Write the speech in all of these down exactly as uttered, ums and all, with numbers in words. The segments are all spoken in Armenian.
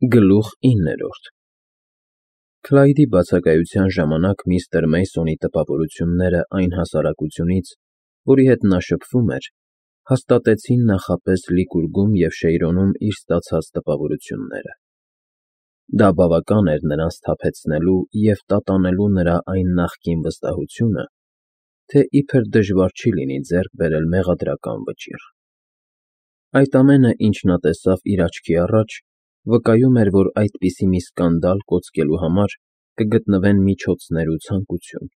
Գլուխ իններորդ Քլայդի բացակայության ժամանակ միստր Մեյսոնի տպավորությունները այն հասարակությունից, որի հետ նա շփվում էր, հաստատեցին նախապես Լիկուրգում և Շեյրոնում իր ստացած տպավորությունները. դա բավական էր նրան սթափեցնելու և տատանելու նրա այն նախկին վստահությունը, թե իբր դժվար չի լինի ձեռք բերել մեղադրական վճիռ. Այդ ամենը, ինչ նա տեսավ իր աչքի առաջ, վկայում էր, որ այդպիսի մի սկանդալ կոծկելու համար կգտնվեն միջոցներ ու ցանկություն,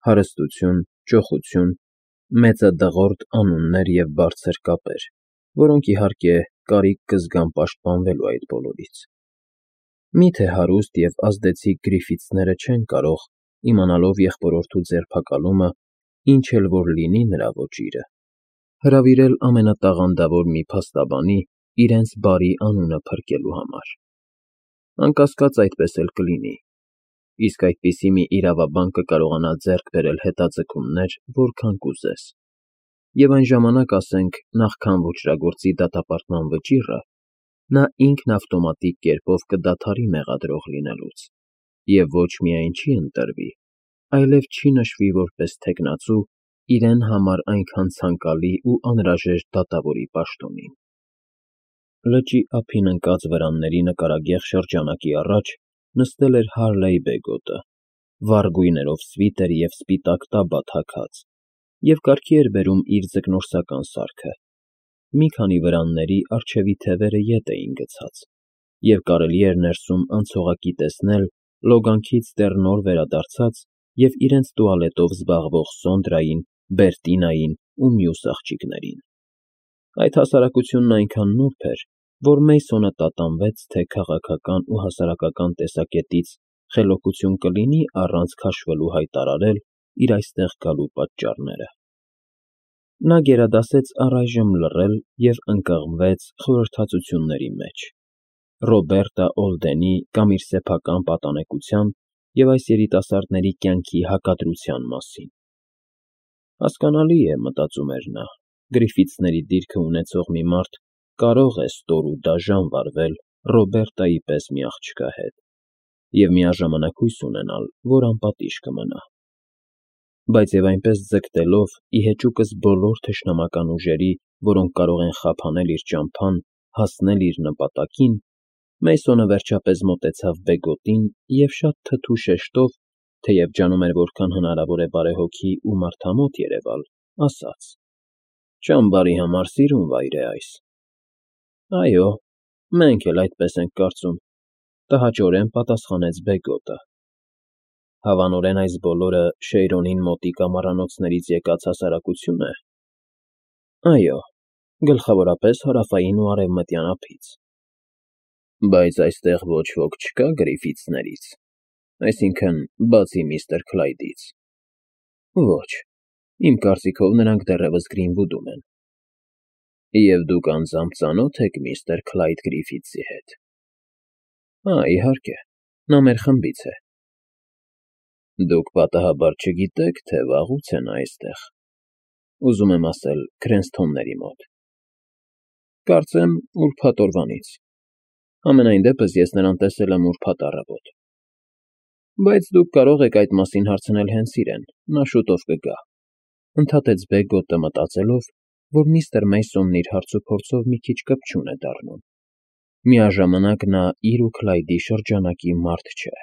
հարստություն, ճոխություն, մեծադղրդ անուններ և բարձր կապեր, որոնք, իհարկե, կարիք կզգան պաշտպանվելու այդ բոլորից. Մի՞թե հարուստ և ազդեցիկ Գրիֆիթսները չեն կարող, իմանալով եղբորորդու ձերբակալումը, ինչ էլ որ լինի նրա ոճիրը, հրավիրել ամենատաղանդավոր մի փաստաբանի իրենց բարի անունը փրկելու համար. Անկասկած, այդպես էլ կլինի, իսկ այդպիսի մի իրավաբան կկարողանա ձեռք բերել հետաձգումներ, որքան կուզես, և այն ժամանակ, ասենք, նախքան ոճրագործի դատապարտման վճիռը, նա ինքն ավտոմատիկ կերպով կդադարի մեղադրող լինելուց և ոչ միայն չի ընտրվի, այլև չի նշվի որպես թեկնածու իրեն համար այնքան ցանկալի ու անհրաժեշտ դատավորի պաշտոնին։ Լճի ափին ընկած վրանների նկարագեղ շրջանակի առաջ նստել էր Հարլեյ Բեգոտը, վառ գույներով սվիտեր և սպիտակ տաբատ հագած, և կարգի էր բերում իր ձկնորսական սարքը. մի քանի վրանների առջևի թևերը ետ էին գցած, և կարելի էր ներսում անցողակի տեսնել լոգանքից դեռ նոր վերադարձած և իրենց տուալետով զբաղվող Սոնդրային, Բերտինային ու մյուս աղջիկներին։ Այդ հասարակությունն այնքան նուրբ էր, որ Մեյսոնը տատանվեց, թե քաղաքական ու հասարակական տեսակետից խելոքություն կլինի առանց քաշվելու հայտարարել իր այստեղ գալու պատճառները։ Նա գերադասեց առայժմ լռել և ընկղմվեց խորհրդածությունների մեջ՝ Ռոբերտա Օլդենի կամ իր սեփական պատանեկության և այս երիտասարդների կյանքի հակադրության մասին։ Հասկանալի է, մտածում էր նա, Գրիֆիթսների դիրքը ունեցող մի մարդ կարող է ստոր ու դաժան վարվել Ռոբերտայի պես մի աղջկա հետ և միաժամանակ հույս ունենալ, որ անպատիժ կմնա։ Բայց և այնպես ձգտելով, ի հեճուկս բոլոր թշնամական ուժերի, որոնք կարող են խափանել իր ճամփան, հասնել իր նպատակին, Մեյսոնը վերջապես մոտեցավ Բեգոտին և շատ թթու շեշտով, թեև ջանում էր որքան հնարավոր է բարեհոգի ու մարդամոտ երևալ, ասաց. «Ճամբարի համար սիրուն վայր է այս»։ ֊ Այո, մենք էլ այդպես ենք կարծում, ֊ տհաճորեն պատասխանեց Բեգոտը։ ֊ Հավանորեն այս բոլորը Շեյրոնին մոտիկ ամառանոցներից եկած հասարակությո՞ւն է։ ֊ Այո, գլխավորապես հարավային ու արևմտյան ափից։ ֊ Բայց այստեղ ոչ ոք չկա Գրիֆիթսներից, այսինքն՝ բացի միստր Քլայդից։ ֊ Ոչ, իմ կարծիքով նրանք դեռևս Գրինվուդում են։ ֊ Եվ դուք անձամբ ծանո՞թ եք միստր Քլայդ Գրիֆիթսի հետ։ ֊ Հա, իհարկե, նա մեր խմբից է։ ֊ Դուք պատահաբար չգիտե՞ք, թե վաղուց է նա այստեղ, ուզում եմ ասել, Քրենսթոնների մոտ։ ֊ Կարծեմ ուրբաթ օրվանից, համենայն դեպս ես նրան տեսել եմ ուրբաթ առավոտ։ ֊ Բայց դուք կարող եք այդ մասին հարցնել հենց իրեն, նա շուտով կգա, ֊ ընդհատեց Բեգոտը, մտածելով, որ միստր Մեյսոնն իր հարցուփորձով մի քիչ կպչուն է դառնում, միաժամանակ նա իր ու Քլայդի շրջանակի մարդ չէ։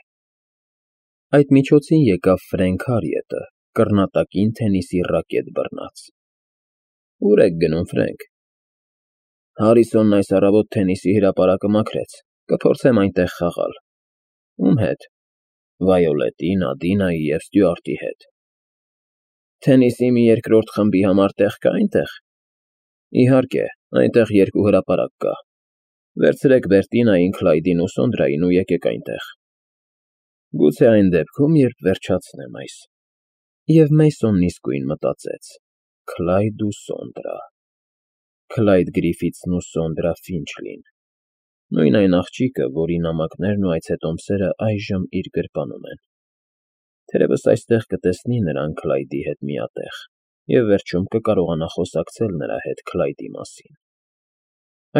Այդ միջոցին եկավ Ֆրենք Հարիետը, կռնատակին թենիսի ռակետ բռնած։ ֊ Ո՞ւր եք գնում, Ֆրենկ։ ֊ Հարիսոնն այս առավոտ թենիսի հրապարակը մաքրեց, կփորձեմ այնտեղ խաղալ։ ֊ Ո՞ւմ հետ։ ֊ Վայոլետի, Նադինայի և Ստյուարտի հետ։ ֊ Թենիսի մի երկրորդ խմբի համար տեղ կա՞ այնտեղ։ ֊ Իհարկե, այնտեղ երկու հրապարակ կա։ Վերցրեք Բերտինային, Քլայդին ու Սոնդրային ու եկեք այնտեղ։ ֊ Գուցե այն դեպքում, երբ վերջացնեմ այս։ Եվ Մեյսոնն իսկույն մտածեց. Քլայդ ու Սոնդրա… Քլայդ Գրիֆիթսն ու Սոնդրա Ֆինչլին… Նույն այն աղջիկը, որի նամակներն ու այցետոմսերը այժմ իր գրպանում են… Թերևս այստեղ կտեսնի նրան Քլայդի հետ միատեղ և վերջում կկարողանա խոսակցել նրա հետ Քլայդի մասին։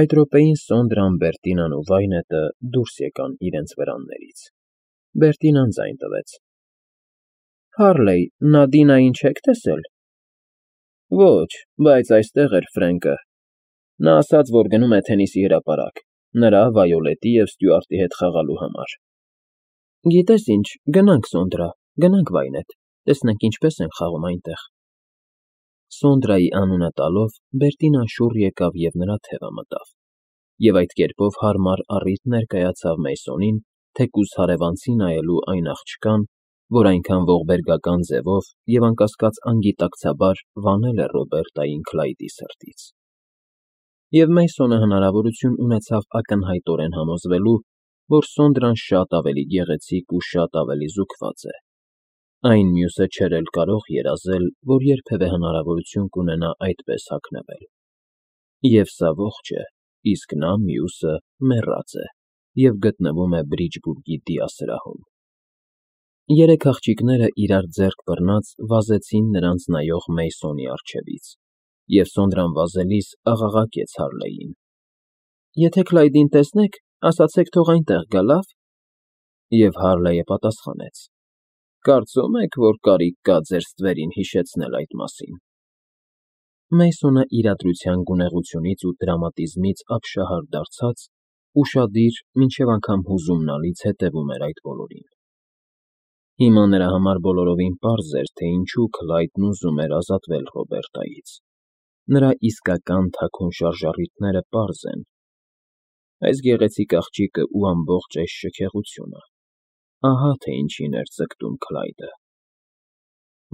Այդ րոպեին Սոնդրան, Բերտինան ու Վայնետը դուրս եկան իրենց վրաններից։ Բերտինան ձայն տվեց. ֊ Հառլեյ, Նադինային չե՞ք տեսել։ ֊ Ոչ, բայց այստեղ էր Ֆրենկը։ Նա ասաց, որ գնում է թենիսի հրապարակ, նրա, Վայոլետի և Ստյուարտի հետ խաղալու համար։ ֊ Գիտես ինչ, գնանք, Սոնդրա, գնանք Վայնետ, տեսնենք ինչպես են խաղում այնտեղ։ Սոնդրայի անունը տալով Բերտինան շուռ եկավ և նրա թևը մտավ, և այդ կերպով հարմար առիթ ներկայացավ Մեյսոնին թեկուզ հարևանցի նայելու այն աղջկան, որ այնքան ողբերգական ձևով և անկասկած անգիտակցաբար վանել է Ռոբերտային Քլայդի սրտից։ Եվ Մեյսոնը հնարավորություն ունեցավ ակնհայտորեն համոզվելու, որ Սոնդրան շատ ավելի գեղեցիկ ու շատ ավելի զուգված է։ Այն մյուսը չէր էլ կարող երազել, որ երբևէ հնարավորություն կունենա այդպես հագնվել։ Եվ սա ողջ է, իսկ նա՝ մյուսը, մեռած է և գտնվում է Բրիջբուրգի դիասրահում։ Երեք աղջիկները իրար ձեռք բռնած վազեցին նրանց նայող Մեյսոնի առջևից, և Սոնդրան վազելիս աղաղակեց Հառլեյին. ֊ Եթե Քլայդին տեսնեք, ասացեք թող այնտեղ գա, լավ։ Եվ Հառլեյը պատասխանեց. ֊ Կարծո՞ւմ եք, որ կարիք կա ձեր ստվերին հիշեցնել այդ մասին։ Մեյսոնը իրադրության գունեղությունից ու դրամատիզմից ապշահար դարձած, ուշադիր, մինչև անգամ հուզումնալից հետևում էր այդ բոլորին։ Հիմա նրա համար բոլորովին պարզ էր, թե ինչու Քլայդն ուզում էր ազատվել Ռոբերտայից։ Նրա իսկական թաքուն շարժառիթները պարզ են։ Այս գեղեցիկ աղջիկը ու ամբողջ այս շքեղությունը… Ահա թե ինչին էր ձգտում Քլայդը։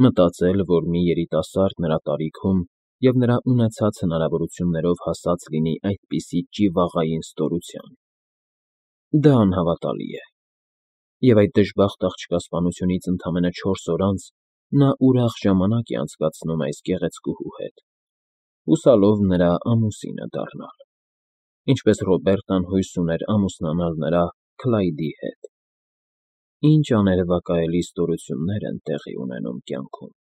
Մտածել, որ մի երիտասարդ նրա տարիքում և նրա ունեցած հնարավորություններով հասած լինի այդպիսի ճիվաղային ստորության… Դա անհավատալի է։ Եվ այդ դժբախտ աղջկա սպանությունից ընդամենը չորս օր անց նա ուրախ ժամանակ է անցկացնում այս գեղեցկուհու հետ, հուսալով նրա ամուսինը դառնալ, ինչպես Ռոբերտան հույս ուներ ամուսնանալ նրա՝ Քլայդի հետ։ Ինչ աներևակայելի ստորություններ են տեղի ունենում կյանքում։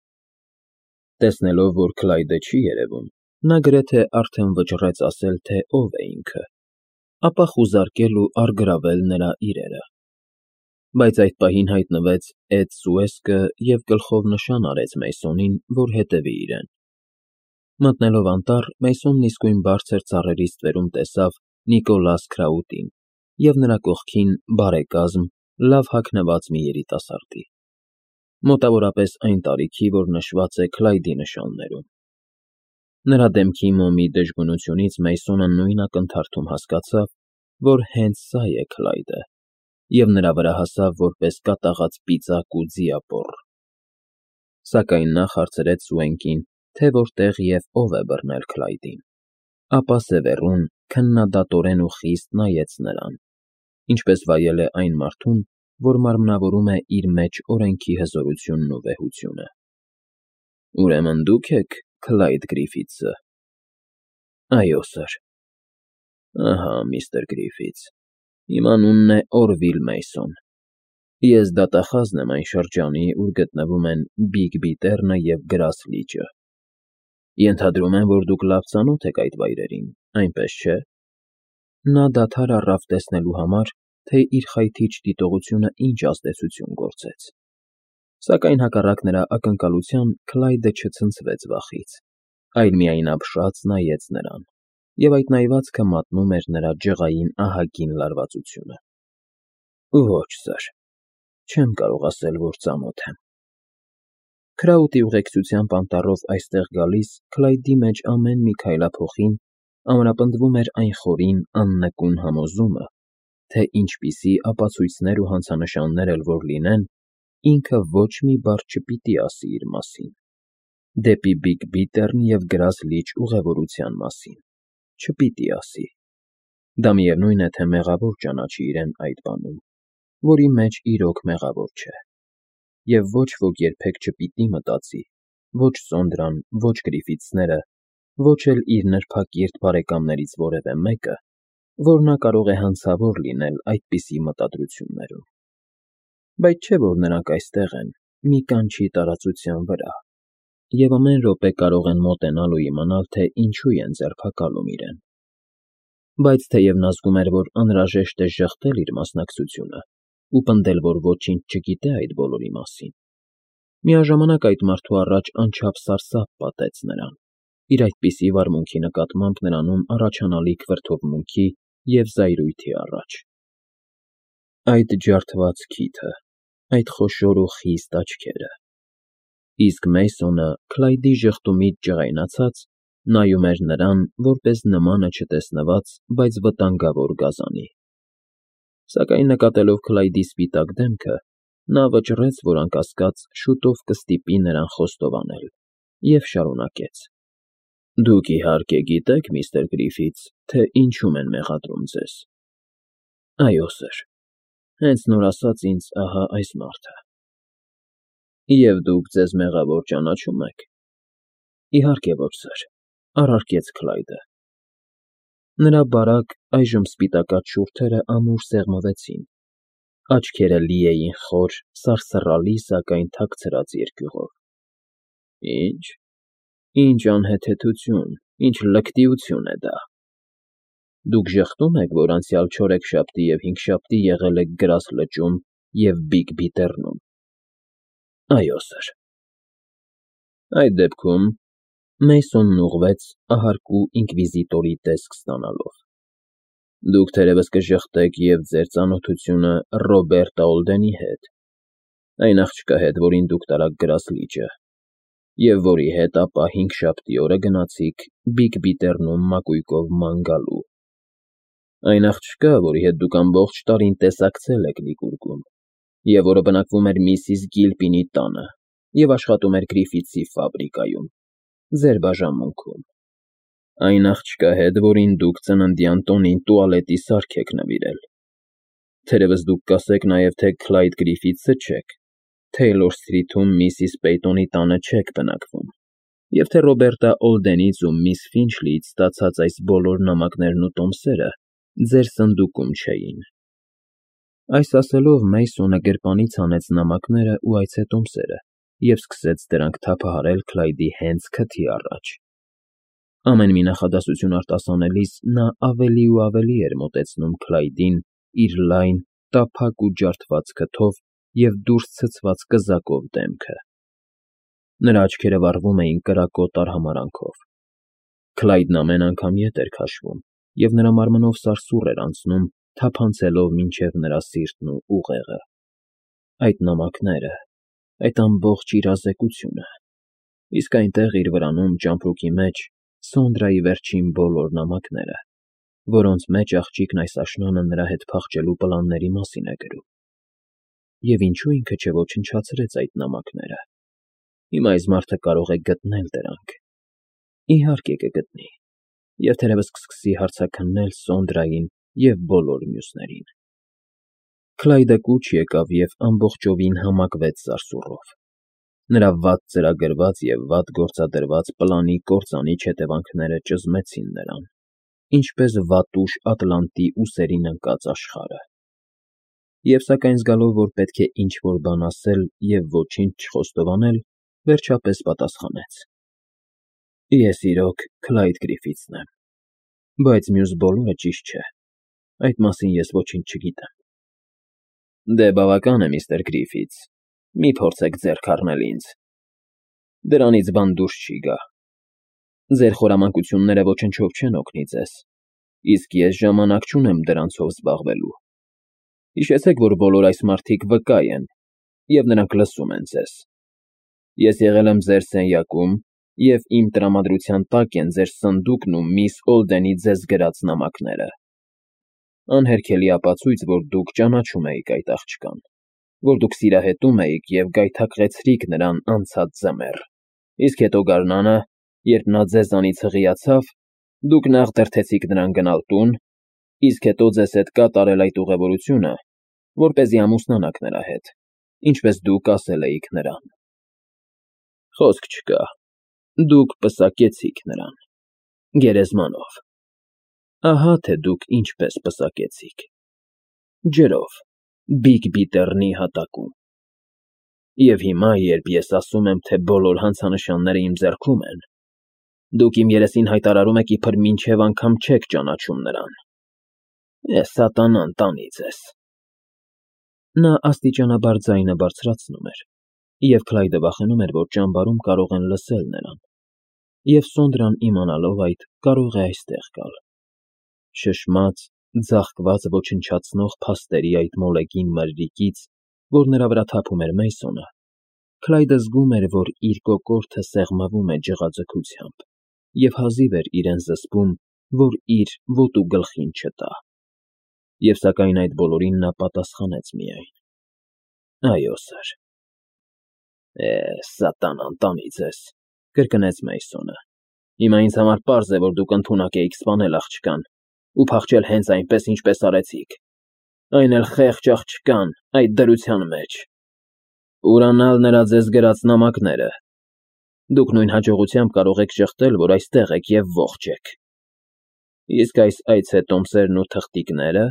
Տեսնելով, որ Քլայդը չի երևում, նա գրեթե արդեն վճռեց ասել, թե ով է ինքը, ապա խուզարկել ու առգրավել նրա իրերը։ Բայց այդ պահին հայտնվեց Էդ֊Սուեսկը և գլխով նշան արեց Մեյսոնին, որ հետևի իրեն։ Մտնելով անտառ, Մեյսոնն իսկույն բարձր ծառերի ստվերում տեսավ Նիկոլաս Քրաուտին և նրա կողքին բարեկազմ, լավ հագնված մի երիտասարդի, մոտավորապես այն տարիքի, որ նշված է Քլայդի նշաններում։ Նրա դեմքի մոմի դժգունությունից Մեյսոնը նույն ակնթարթում հասկացավ, որ հենց սա է Քլայդը, և նրա վրա հասավ որպես կատաղած պիծակ ու ձիապոռ։ Սակայն նա հարցրեց Սուենկին, թե որտեղ և ով է բռնել Քլայդին, ապա սևեռուն, քննադատորեն ու խիստ նայեց նրան, ինչպես վայել է այն մարդուն, որ մարմնավորում է իր մեջ օրենքի հզորությունն ու վեհությունը։ ֊ Ուրեմն դուք եք Քլայդ Գրիֆիթսը։ ֊ Այո, սըր։ ֊ Ահա, միստր Գրիֆիթս, իմ անունն է Օրվիլ Մեյսոն։ Ես դատախազն եմ այն շրջանի, ուր գտնվում են Բիգ Բիթեռնը և Գրաս լիճը։ Ենթադրում եմ, որ դուք լավ ծանոթ եք այդ վայրերին, այնպես չէ՞։ Նա դադար առավ տեսնելու համար, թե իր խայթիչ դիտողությունը ինչ ազդեցություն գործեց։ Սակայն հակառակ նրա ակնկալության Քլայդը չցնցվեց վախից, այլ միայն ապշած նայեց նրան, և այդ նայվածքը մատնում էր նրա ջղային ահագին լարվածությունը։ ֊ Ոչ, սըր, չեմ կարող ասել, որ ծանոթ եմ։ Քրաուտի ուղեկցությամբ անտառով այստեղ գալիս Քլայդի մեջ ամեն մի քայլափոխին ամրապնդվում էր այն խորին, աննկուն համոզումը, թե ինչպիսի ապացույցներ ու հանցանշաններ էլ որ լինեն, ինքը ոչ մի բառ չպիտի ասի իր մասին, դեպի Բիգ Բիթեռն և Գրաս լիճ ուղևորության մասին, չպիտի ասի։ Դա միևնույն է, թե մեղավոր ճանաչի իրեն այդ բանում, որի մեջ իրոք մեղավոր չէ։ Եվ ոչ ոք երբեք չպիտի մտածի, ոչ Սոնդրան, ոչ Գրիֆիթսները, ոչ էլ իր նրբակիրթ բարեկամներից որևէ մեկը, որ նա կարող է հանցավոր լինել այդպիսի մտադրություններում։ Բայց չէ՞ որ նրանք այստեղ են, մի կանչի տարածության վրա, և ամեն րոպե կարող են մոտենալ ու իմանալ, թե ինչու են ձերբակալում իրեն։ Բայց թեև նա զգում էր, որ անհրաժեշտ է ժխտել իր մասնակցությունը ու պնդել, որ ոչինչ չգիտե այդ բոլորի մասին, միաժամանակ այդ մարդու առաջ անչափ սարսափ պատեց նրան, իր այդպիսի վարմունքի նկատմամբ նրանում առաջանալիք վրդովմունքի և զայրույթի առաջ։ Այդ ջարդված քիթը, այդ խոշոր ու խիստ աչքերը… Իսկ Մեյսոնը, Քլայդի ժխտումից ջղայնացած, նայում էր նրան, որպես նմանը չտեսնված, բայց վտանգավոր գազանի։ Սակայն նկատելով Քլայդի սպիտակ դեմքը, նա վճռեց, որ անկասկած շուտով կստիպի նրան խոստովանել, և շարունակեց. «Դուք, իհարկե, գիտեք, միստր Գրիֆիթս, թե ինչում են մեղադրում ձեզ»։ ֊ Այո, սըր, հենց նոր ասաց ինձ ահա այս մարդը։ ֊ Եվ դուք ձեզ մեղավոր ճանաչո՞ւմ եք։ ֊ Իհարկե ոչ, սըր, ֊ առարկեց Քլայդը։ Նրա բարակ, այժմ սպիտակած շուրթերը ամուր սեղմվեցին, աչքերը լի էին խոր, սարսռալի, սակայն թաքցրած երկյուղով։ ֊ Ի՞նչ, ի՜նչ անհեթեթություն, ի՜նչ լկտիություն է դա։ Դուք ժխտո՞ւմ եք, որ անցյալ չորեքշաբթի և հինգշաբթի եղել եք Գրաս լճում և Բիգ Բիթեռնում։ ֊ Այո, սըր։ ֊ Այդ դեպքում… Մեյսոնն ուղղվեց, ahարկու ինկվիզիտորի տեսք ստանալով… Դուք թերևս կժխտեք և ձեր ծանոթությունը Ռոբերտ Ալդենի հետ, այն աղջկա հետ, որին դուք տարաք Գրաս լիճը, և որի հետ ապա հինգշաբթի օրը գնացիք Բիգ Բիթեռնում մակույկով ման գալու, այն աղջկա, որի հետ դուք ամբողջ տարին տեսակցել եք Լիկուրգում, և որը բնակվում էր միսիս Գիլպինի տանը և աշխատում էր Գրիֆիթսի ֆաբրիկայում, ձեր բաժանմունքում, այն աղջկա հետ, որին դուք ծննդյան տոնին տուալետի սարք եք նվիրել… Թերևս դուք կասեք նաև, թե Քլայդ Գրիֆիթսը չեք, Թեյլոր Սթրիթում միսիս Պեյթոնի տանը չեք բնակվում, և թե Ռոբերտա Ալդենից ու միս Ֆինչլիից ստացած այս բոլոր նամակներն ու տոմսերը ձեր սնդուկում չէին… Այս ասելով Մեյսոնը գրպանից հանեց նամակներն ու այցետոմսերը և սկսեց դրանք թափահարել Քլայդի հենց քթի առաջ… Ամեն մի նախադասություն արտասանելիս նա ավելի ու ավելի էր մոտեցնում Քլայդին իր լայն, տափակ ու ջարդված քթով և դուրս ցցված կզակով դեմքը… Նրա աչքերը վառվում էին կրակոտ արհամարհանքով… Քլայդն ամեն անգամ ետ էր քաշվում, և նրա մարմնով սարսուռ էր անցնում, թափանցելով մինչև նրա սիրտն ու ուղեղը… Այդ նամակները… այդ ամբողջ իրազեկությունը… Իսկ այնտեղ, իր վրանում, ճամպրուկի մեջ, Սոնդրայի վերջին բոլոր նամակները, որոնց մեջ աղջիկն այս աշնանը նրա հետ փախչելու պլանների մասին է գրում… Եվ ինչո՞ւ ինքը չոչնչացրեց այդ նամակները… Հիմա այս մարդը կարող է գտնել դրանք… Իհարկե կգտնի, և թերևս կսկսի հարցաքննել Սոնդրային և բոլոր մյուսներին… Քլայդը կուչ եկավ և ամբողջովին համակվեց սարսուռով… Նրա վատ ծրագրված և վատ գործադրված պլանի կործանիչ հետևանքները ճզմեցին նրան, ինչպես վատուշ ատլանտի ուսերին ընկած աշխարհը… Եվ սակայն զգալով, որ պետք է ինչ֊որ բան ասել և ոչինչ չխոստովանել, վերջապես պատասխանեց. ֊ Ես, իրոք, Քլայդ Գրիֆիթսն եմ, բայց մյուս բոլորը ճիշտ չէ, այդ մասին ես ոչինչ չգիտեմ։ ֊ Դե բավական է, միստր Գրիֆիթս, մի փորձեք ձեռք առնել ինձ… Դրանից բան դուրս չի գա… Ձեր խորամանկությունները ոչնչով չեն օգնի ձեզ, իսկ ես ժամանակ չունեմ դրանցով զբաղվելու… Հիշեցեք, որ բոլոր այս մարդիկ վկա են, և նրանք լսում են ձեզ… Ես եղել եմ ձեր սենյակում, և իմ տրամադրության տակ են ձեր սնդուկն ու միս Ալդենի ձեզ գրած նամակները… Անհերքելի ապացույց, որ դուք ճանաչում էիք այդ աղջկան, որ դուք սիրահետում էիք և գայթակղեցրիք նրան անցած ձմեռ, իսկ հետո գարնանը, երբ նա ձեզանից հղիացավ, դուք նախ դրդեցիք նրան գնալ տուն, իսկ հետո ձեզ հետ կատարել այդ ուղևորությունը, որպեսզի ամուսնանաք նրա հետ, ինչպես դուք ասել էիք նրան… Խոսք չկա, դուք պսակեցիք նրան… գերեզմանով… Ահա թե դուք ինչպես պսակեցիք… ջրով, Բիգ Բիթեռնի հատակում… Եվ հիմա, երբ ես ասում եմ, թե բոլոր հանցանշանները իմ ձեռքում են, դուք իմ երեսին հայտարարում եք, իբր մինչև անգամ չեք ճանաչում նրան… Է սատանան տանի ձեզ։ Նա աստիճանաբար ձայնը բարձրացնում էր, և Քլայդը վախենում էր, որ ճամբարում կարող են լսել նրան, և Սոնդրան իմանալով այդ, կարող է այստեղ գալ։ Շշմած, ձաղկված ոչնչացնող փաստերի այդ մոլեգին մրրիկից, որ նրա վրա թափում էր Մեյսոնը, Քլայդը զգում էր, որ իր կոկորդը սեղմվում է ջղաձգությամբ, և հազիվ էր իրեն զսպում, որ իր ոտու գլխին չտա։ Եվ սակայն այդ բոլորին նա պատասխանեց միայն. Այո, սըր։ Է, սատանան տանի ձեզ, կրկնեց Մեյսոնը։ Հիմա ինձ համար պարզ է, որ դուք ընդունակ էիք սպանել աղջկան ու փախչել հենց այնպես, ինչպես արեցիք, այն էլ խեղճ աղջկան այդ դրության մեջ, ուրանալ նրա ձեզ գրած նամակները։ Դուք նույն հաջողությամբ կարող եք շղթել, որ այստեղ եք և ողջ եք։ Իսկ այս այցետոմսերն ու թղթիկնե՞րը,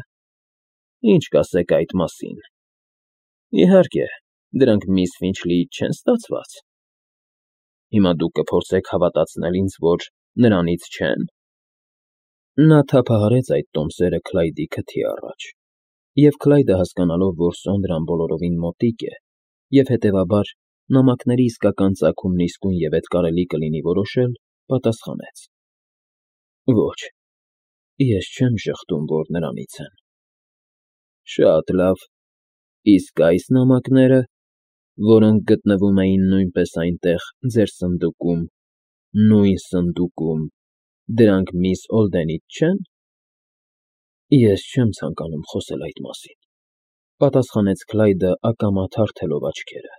ինչ կասեք այդ մասին։ Իհարկե, դրանք միս Ֆինչլիից չեն ստացված։ Հիմա դուք կփորձեք հավատացնել ինձ, որ նրանից չե՞ն։ Նա թափահարեց այդ տոմսերը Քլայդի քթի առաջ, և Քլայդը, հասկանալով, որ Սոնդրան բոլորովին մոտիկ է, և հետևաբար նամակների իսկական ծագումն իսկույնևեթ կարելի կլինի որոշել, պատասխանեց. Ոչ, ես չեմ ժխտում, որ նրանից են։ Շատ լավ, իսկ այս նամակնե՞րը, որոնք գտնվում էին նույնպես այնտեղ, ձեր սնդուկում, նույն սնդուկում, դրանք միս Օլդենից չե՞ն։ Ես չեմ ցանկանում խոսել այդ մասին, պատասխանեց Քլայդը ակամա թարթելով աչքերը,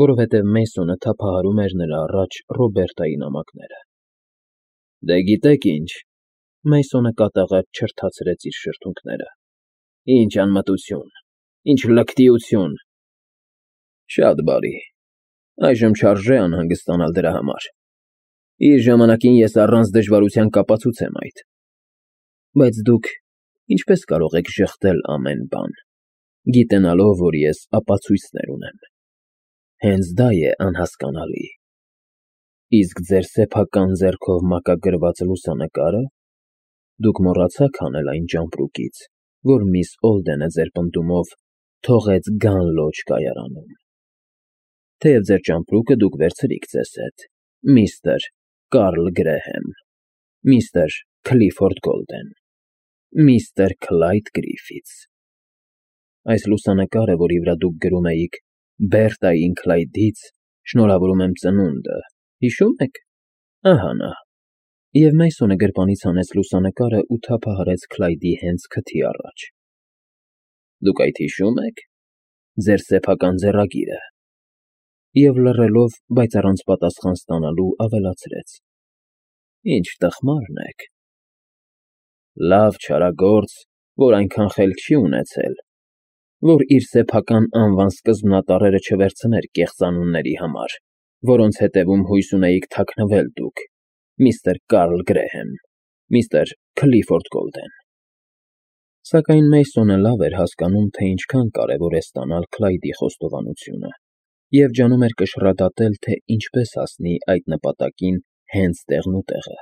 որովհետև Մեյսոնը թափահարում էր նրա առաջ Ռոբերտայի նամակները։ Դե գիտեք ինչ, Մեյսոնը կատաղած չրթացրեց իր շրթունքները, ինչ անմտություն, ինչ լկտիություն։ Շատ բարի, այժմ չարժե անհանգստանալ դրա համար։ Իր ժամանակին ես առանց դժվարության կապացուցեմ այդ։ Բայց դուք ինչպես կարող եք ժխտել ամեն բան, գիտենալով, որ ես ապացույցներ ունեմ։ Հենց դա է անհասկանալի։ Իսկ ձեր սեփական ձեռքով մակագրված լուսանկարը, դուք մոռացաք հանել այն ճամպրուկից, որ միս Օլդենը ձեր պնդումով թողեց Գանլոջ կայարանում։ Թեև ձեր ճամպրուկը դուք վերցրիք ձեզ հետ, միստր Կարլ Գրեհեմ, միստր Քլիֆորդ Գոլդեն, միստր Քլայդ Գրիֆիթս։ Այս լուսանկարը, որի վրա դուք գրում էիք Բերտային Քլայդից շնորհավորում եմ ծնունդը, հիշո՞ւմ եք։ Ահա նա։ Եվ Մեյսոնը գրպանից հանեց լուսանկարը ու թափահարեց Քլայդի հենց քթի առաջ։ Դուք այդ հիշո՞ւմ եք։ Ձեր սեփական ձեռագիրը։ Եվ լռելով, բայց առանց պատասխան ստանալու, ավելացրեց. Ինչ տխմարն եք։ Լավ չարագործ, որ այնքան խելք չի ունեցել, որ իր սեփական անվան սկզբնատառերը չվերցներ կեղծանունների համար, որոնց հետևում հույս ունեիք թաքնվել դուք, միստր Կարլ Գրեհեմ, միստր Քլիֆորդ Գոլդեն։ Սակայն Մեյսոնը լավ էր հասկանում, թե ինչքան կարևոր է ստանալ Քլայդի խոստովանությունը, և ջանում էր կշռադատել, թե ինչպես հասնի այդ նպատակին հենց տեղնուտեղը։